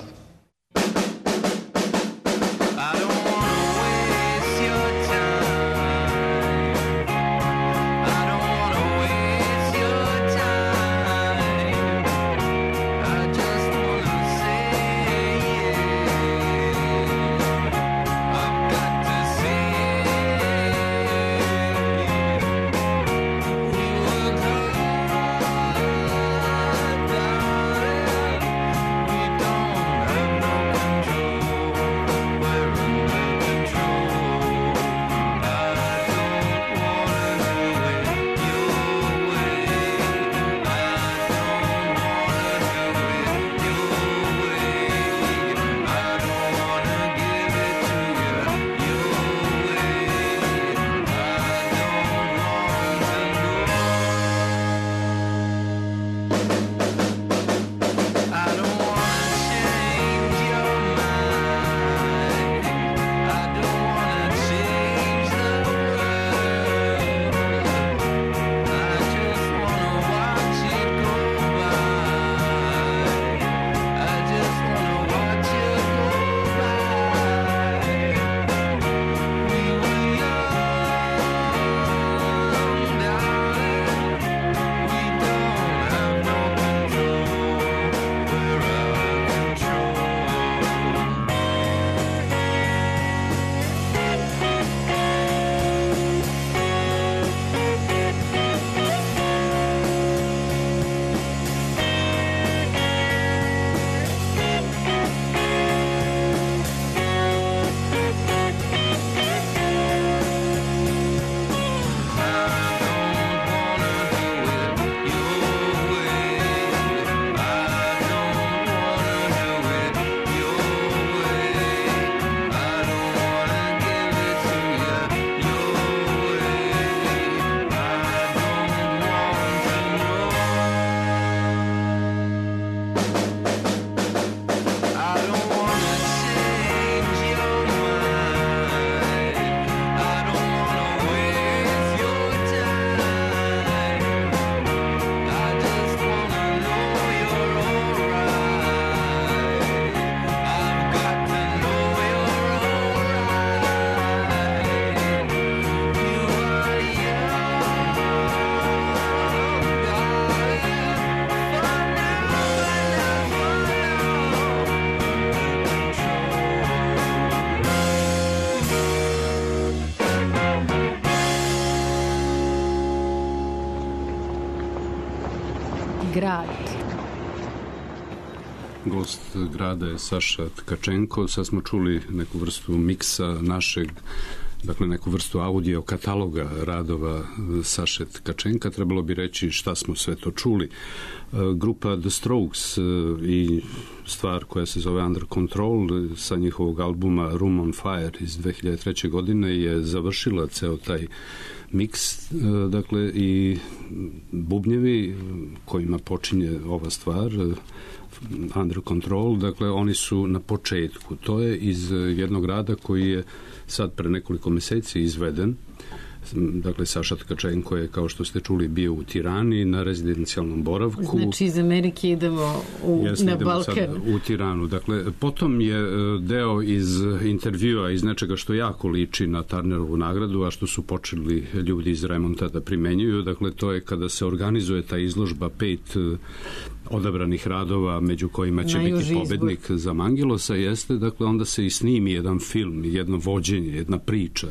Grad. Gost grada je Saša Tkačenko. Sad smo čuli neku vrstu miksa našeg, dakle neku vrstu audio kataloga radova Saše Tkačenka. Trebalo bi reći šta smo sve to čuli. Grupa The Strokes i stvar koja se zove Under Control sa njihovog albuma Room on Fire iz 2003. godine je završila ceo taj miks, dakle i bubnjevi kojima počinje ova stvar Under Control, dakle oni su na početku. To je iz jednog rada koji je sad pre nekoliko meseci izveden. Dakle, Saša Tkačenko je, kao što ste čuli, bio u Tirani na rezidencijalnom boravku. Znači, iz Amerike idemo na Balkan. U Tiranu. Dakle, potom je deo iz intervjua, iz nečega što jako liči na Turnerovu nagradu, a što su počeli ljudi iz Remonta da primenjuju. Dakle, to je kada se organizuje ta izložba 5 odabranih radova, među kojima će biti pobednik za Mangilosa, jeste, dakle, onda se i snimi jedan film, jedno vođenje, jedna priča.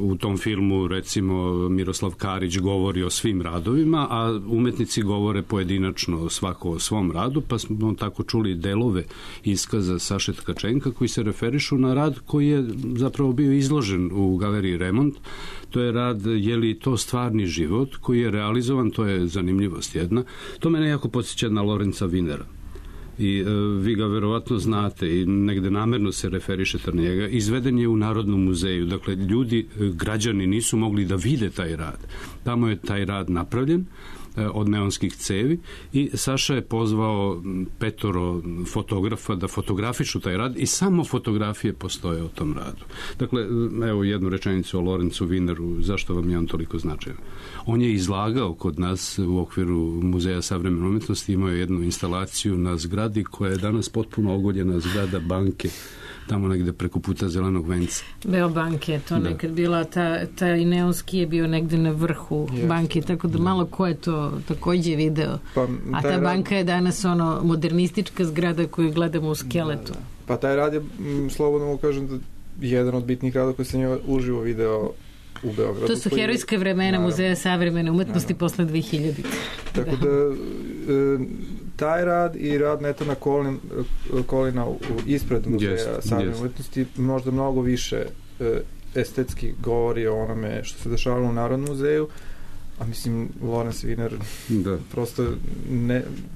U tom filmu, recimo, Miroslav Karić govori o svim radovima, a umetnici govore pojedinačno svako o svom radu, pa smo tako čuli delove iskaza Saše Tkačenka koji se referišu na rad koji je zapravo bio izložen u galeriji Remont. To je rad Je li to stvarni život koji je realizovan, to je zanimljivost jedna. To mene jako podsjeća na Lorenza Winera. I vi ga verovatno znate i negde namerno se referišete na njega. Izveden je u Narodnom muzeju. Dakle, ljudi, građani nisu mogli da vide taj rad. Tamo je taj rad napravljen od neonskih cevi i Saša je pozvao 5 fotografa da fotografišu taj rad i samo fotografije postoje o tom radu. Dakle, evo jednu rečenicu o Lorenzu Wineru, zašto vam je on toliko značajan. On je izlagao kod nas u okviru Muzeja savremene umetnosti, imao je jednu instalaciju na zgradi koja je danas potpuno ogoljena, zgrada banke, tamo negde preko puta Zelenog venca. Beobanke je to nekad bila, taj neonski je bio negde na vrhu banke, tako da malo ko je to takođe video. A ta banka je danas ono modernistička zgrada koju gledamo u skeletu. Da. Pa taj rad je, slobodno mu kažem, da jedan od bitnih rada koji sam je uživo video u Beogradu. To su herojska vremena Muzeja savremene umetnosti posle 2000. Tako da taj rad i rad Netana Kolina ispred Muzeja savremene umetnosti možda mnogo više estetski govori o onome što se dešavalo u Narodnom muzeju, a mislim Lorenz Winer prosto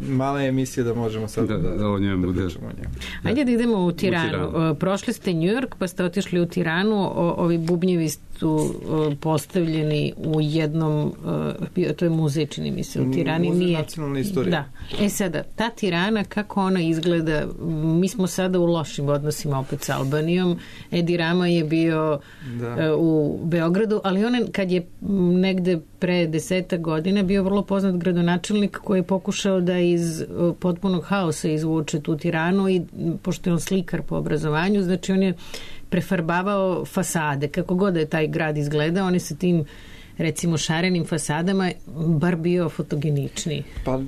mala je emisija da možemo sad da pričamo o njemu. Ajde da idemo u Tiranu. Prošli ste New York pa ste otišli u Tiranu, ovi bubnjevi su postavljeni u jednom, to je muzej, čini mi se, u Tirani. Muzej nacionalne istorije. Da. Sada, ta Tirana, kako ona izgleda, mi smo sada u lošim odnosima opet sa Albanijom. Edi Rama je bio u Beogradu, ali on kad je negde pre 10 godina bio vrlo poznat gradonačelnik koji je pokušao da iz potpunog haosa izvuče tu Tiranu i pošto je on slikar po obrazovanju, znači on je prefarbavao fasade. Kako god je taj grad izgledao, on je sa tim recimo šarenim fasadama bar bio fotogeničniji. Pa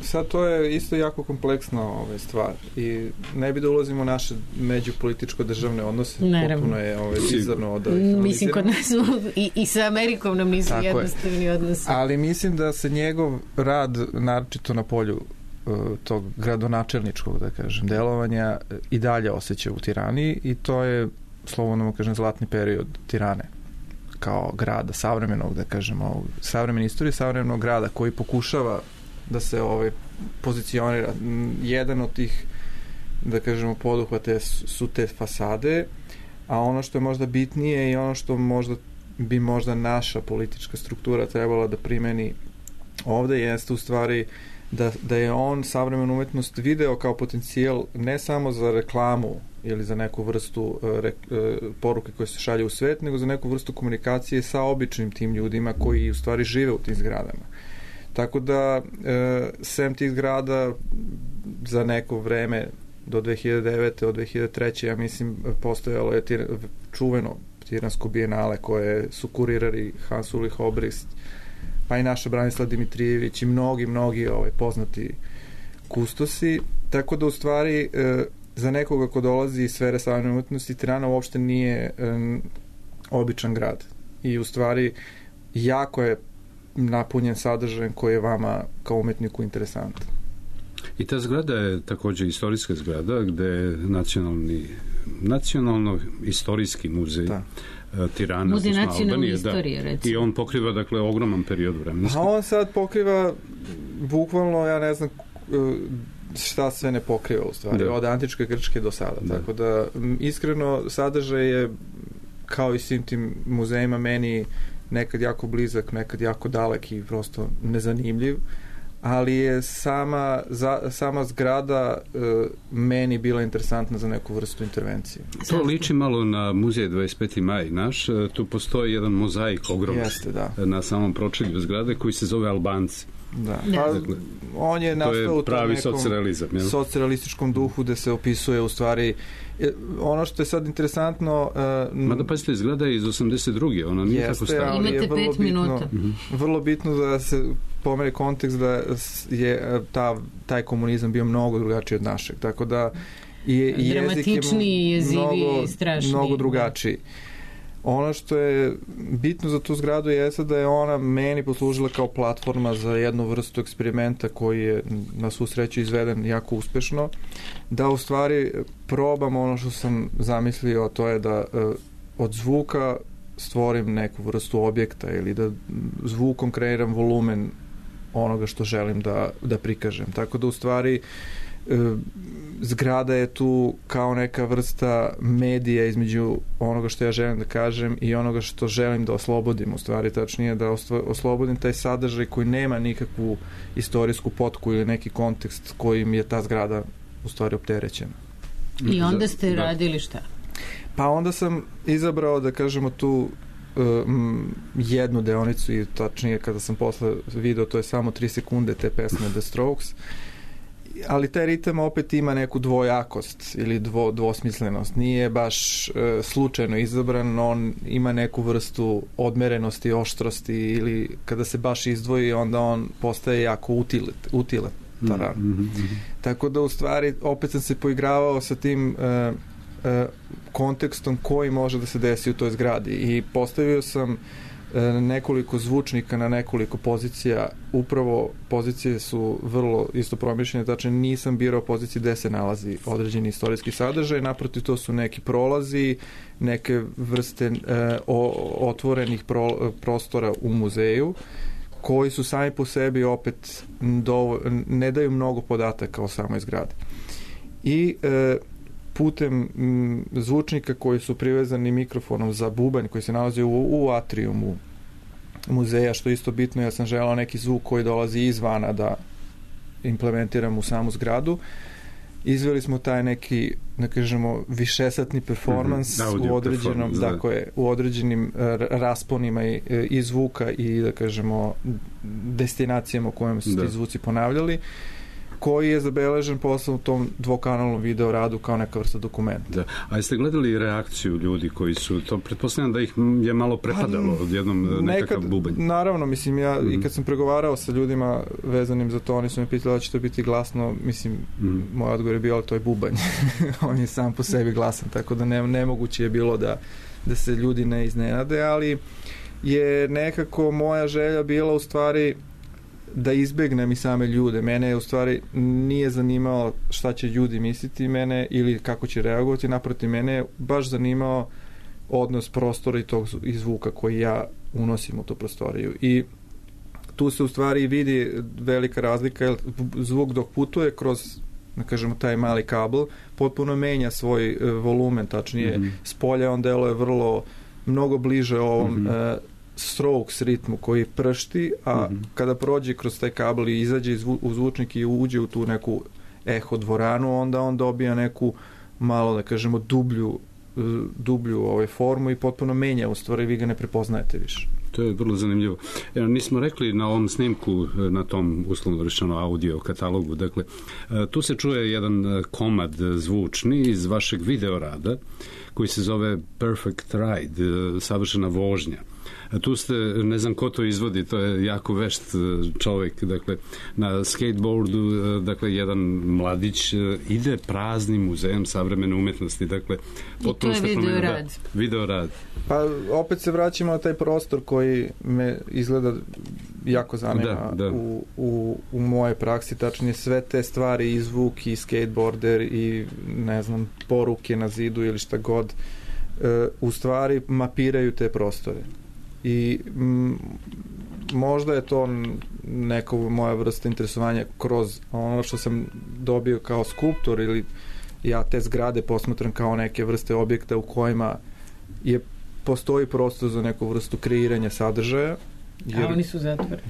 sad to je isto jako kompleksna stvar i ne bi da ulazimo u naše međupolitičko državne odnose. Naravno. Potpuno je bizarno da mislim kod nas i sa Amerikom nam nisu jednostavni odnosi. Ali mislim da se njegov rad naročito na polju tog gradonačelničkog, da kažem, delovanja i dalje osjeća u Tirani i to je, slobodno kažem, zlatni period Tirane kao grada, savremenog, da kažemo, savremene istorije, savremenog grada koji pokušava da se pozicionira. Jedan od tih, da kažemo, poduhvate su te fasade, a ono što je možda bitnije i ono što bi možda naša politička struktura trebala da primeni ovde jeste u stvari da je on savremenu umetnost video kao potencijal ne samo za reklamu ili za neku vrstu poruke koje se šalje u svet, nego za neku vrstu komunikacije sa običnim tim ljudima koji u stvari žive u tim zgradama. Tako da, sem tih zgrada za neko vreme do 2009. od 2003. ja mislim postojalo je čuveno Tiransko bijenale koje su kurirali Hans Ulrich Obrist, pa i naša Branislav Dimitrijević i mnogi poznati kustosi, tako da u stvari za nekoga ko dolazi iz sfere savremene umetnosti Tirana uopšte nije običan grad i u stvari jako je napunjen sadržajem koji je vama kao umetniku interesantan. I ta zgrada je takođe istorijska zgrada gde je nacionalno-istorijski muzej Tirana, Muzej nacionalne istorije, recimo. I on pokriva, dakle, ogroman period vremenski. A on sad pokriva bukvalno, ja ne znam šta sve ne pokriva u stvari, od antičke Grčke do sada. Tako da, iskreno, sadržaj je, kao i svim tim muzejima, meni nekad jako blizak, nekad jako dalek i prosto nezanimljiv, ali je sama zgrada meni bila interesantna za neku vrstu intervencije. To liči malo na muzej 25. maj naš. Tu postoji jedan mozaik ogroman na samom pročelju zgrade koji se zove Albanci. Da. Pa, on je nastao u tom nekom socrealističkom duhu gde se opisuje u stvari ono što je sad interesantno... Mada pazite, zgrada je iz 82. Ona nije tako stara. Imate 5 minuta. Vrlo bitno da se pomeri kontekst da je taj komunizam bio mnogo drugačiji od našeg. Tako da dramatičniji, jeziviji, strašniji. Mnogo drugačiji. Ono što je bitno za tu zgradu jeste da je ona meni poslužila kao platforma za jednu vrstu eksperimenta koji je na svu sreću izveden jako uspešno, da u stvari probam ono što sam zamislio, to je da od zvuka stvorim neku vrstu objekta ili da zvukom kreiram volumen onoga što želim da prikažem. Tako da u stvari zgrada je tu kao neka vrsta medija između onoga što ja želim da kažem i onoga što želim da oslobodim, u stvari tačnije da oslobodim taj sadržaj koji nema nikakvu istorijsku potku ili neki kontekst kojim je ta zgrada u stvari opterećena. I onda ste radili šta? Pa onda sam izabrao, da kažemo, tu jednu deonicu i tačnije kada sam posle video, to je samo 3 sekunde te pesme The Strokes, ali taj ritam opet ima neku dvojakost ili dvosmislenost. Nije baš slučajno izabran, on ima neku vrstu odmerenosti, oštrosti ili kada se baš izdvoji, onda on postaje jako utilitaran. Tako da u stvari opet sam se poigravao sa tim kontekstom koji može da se desi u toj zgradi i postavio sam nekoliko zvučnika na nekoliko pozicija. Upravo pozicije su vrlo isto promišljene, znači nisam birao pozicije gde se nalazi određeni istorijski sadržaj, naprotiv to su neki prolazi, neke vrste otvorenih prostora u muzeju koji su sami po sebi opet ne daju mnogo podataka o samoj zgradi. I putem zvučnika koji su privezani mikrofonom za bubanj koji se nalazi u atrijumu muzeja, što je isto bitno, ja sam želao neki zvuk koji dolazi izvana da implementiram u samu zgradu. Izveli smo taj neki, da kažemo, višesatni performans u određenim rasponima i zvuka i, da kažemo, destinacijama u kojem su ti zvuci ponavljali, koji je zabeležen posle u tom dvokanalnom video radu kao neka vrsta dokumenta. Da. A jeste gledali reakciju ljudi koji su to, pretpostavljam da ih je malo prepadalo odjednom nekakav bubanj? Naravno, mislim, ja i kad sam pregovarao sa ljudima vezanim za to, oni su me pitali da će to biti glasno, mislim, moj odgovor je bio, ali to je bubanj. On je sam po sebi glasan, tako da nemoguće je bilo da se ljudi ne iznenade, ali je nekako moja želja bila u stvari da izbegnem i same ljude. Mene je u stvari nije zanimalo šta će ljudi misliti mene ili kako će reagovati, naprotiv, mene je baš zanimao odnos prostora i zvuka koji ja unosim u tu prostoriju. I tu se u stvari vidi velika razlika, jer zvuk dok putuje kroz, da kažemo, taj mali kabel, potpuno menja svoj volumen, tačnije s polja on deluje mnogo bliže ovom Strokes ritmu koji pršti, a kada prođe kroz taj kabel i izađe u zvučnik i uđe u tu neku eho dvoranu, onda on dobija neku malo, da kažemo, dublju formu i potpuno menja, u stvari vi ga ne prepoznajete više. To je vrlo zanimljivo. Nismo rekli na ovom snimku, na tom uslovno rečeno audio katalogu, dakle, tu se čuje jedan komad zvučni iz vašeg videorada koji se zove Perfect Ride, savršena vožnja. A tu ste, ne znam ko to izvodi, to je jako vešt čovjek, dakle, na skateboardu, dakle, jedan mladić ide praznim muzejom savremene umetnosti, dakle, i to je video rad. Pa opet se vraćamo na taj prostor koji me izgleda jako zanima u moje praksi, tačnije sve te stvari i zvuk i skateboarder i ne znam, poruke na zidu ili šta god, u stvari mapiraju te prostore. I možda je to neka moja vrsta interesovanja kroz ono što sam dobio kao skulptor, ili ja te zgrade posmatram kao neke vrste objekta u kojima postoji prostor za neku vrstu kreiranja sadržaja. A oni su zatvoreni.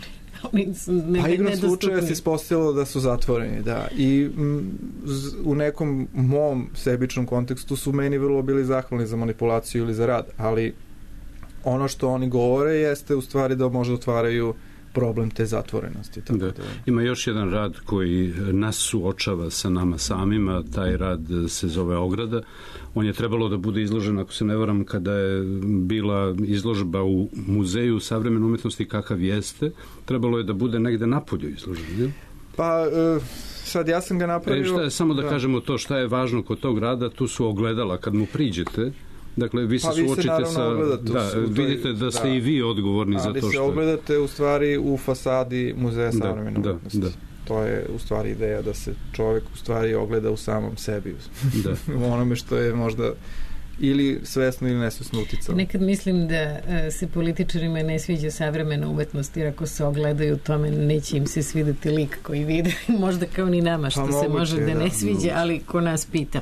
A igrom slučaja se ispostavilo da su zatvoreni, da. I u nekom mom sebičnom kontekstu su meni vrlo bili zahvalni za manipulaciju ili za rad, ali ono što oni govore jeste u stvari da možda otvaraju problem te zatvorenosti. Tako da. Ima još jedan rad koji nas suočava sa nama samima, taj rad se zove Ograda. On je trebalo da bude izložen, ako se ne varam, kada je bila izložba u Muzeju savremene umetnosti kakav jeste, trebalo je da bude negde napolju izložen, je? Pa, sad ja sam ga napravio... Samo da kažemo to, šta je važno kod tog rada, tu su ogledala kad mu priđete. Dakle, vi se suočite sa... vidite da ste i vi odgovorni za to što... Ali se ogledate u stvari u fasadi Muzeja savremene umetnosti. To je u stvari ideja da se čovjek u stvari ogleda u samom sebi. U onome što je možda ili svesno ili nesvesno uticalo. Nekad mislim da se političarima ne sviđa savremena umetnost, jer ako se ogledaju u tome, neće im se svideti lik koji vide. Možda kao ni nama, što se može da ne sviđa, ali ko nas pita.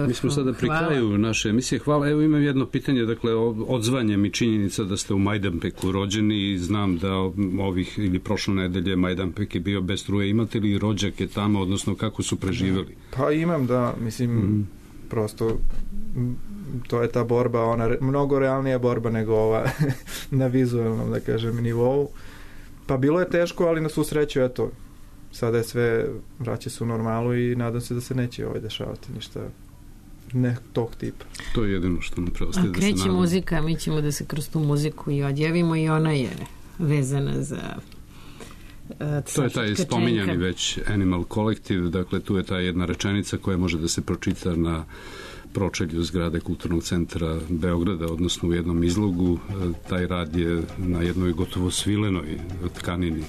Mi smo sada pri kraju naše emisije. Hvala. Evo imam jedno pitanje, dakle, odzvanjem i činjenica da ste u Majdanpeku rođeni i znam da ovih ili prošle nedelje Majdanpek je bio bez struje. Imate li rođake tamo, odnosno kako su preživeli? Pa imam, da, mislim, prosto to je ta borba, ona mnogo realnija borba nego ova na vizualnom, da kažem, nivou. Pa bilo je teško, ali na svu sreću, eto, sada je sve, vraća se u normalu i nadam se da se neće dešavati ništa ne tog tipa. To je jedino što nam preostaje da se nadam. Kreće muzika, mi ćemo da se kroz tu muziku i odjavimo i ona je vezana za to je taj spominjani već Animal Collective, dakle tu je ta jedna rečenica koja može da se pročita na pročelju zgrade Kulturnog centra Beograda, odnosno u jednom izlogu. Taj rad je na jednoj gotovo svilenoj tkanini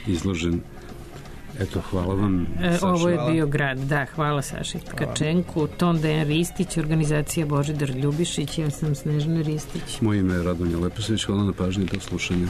izložen. Eto, hvala vam, Saša. Ovo je bio grad, da, hvala Saši Tkačenku, ton Dejan Ristić, organizacija Božidar Ljubišić, ja sam Snežana Ristić. Moje ime je Radonja Leposević, hvala na pažnji, do slušanja.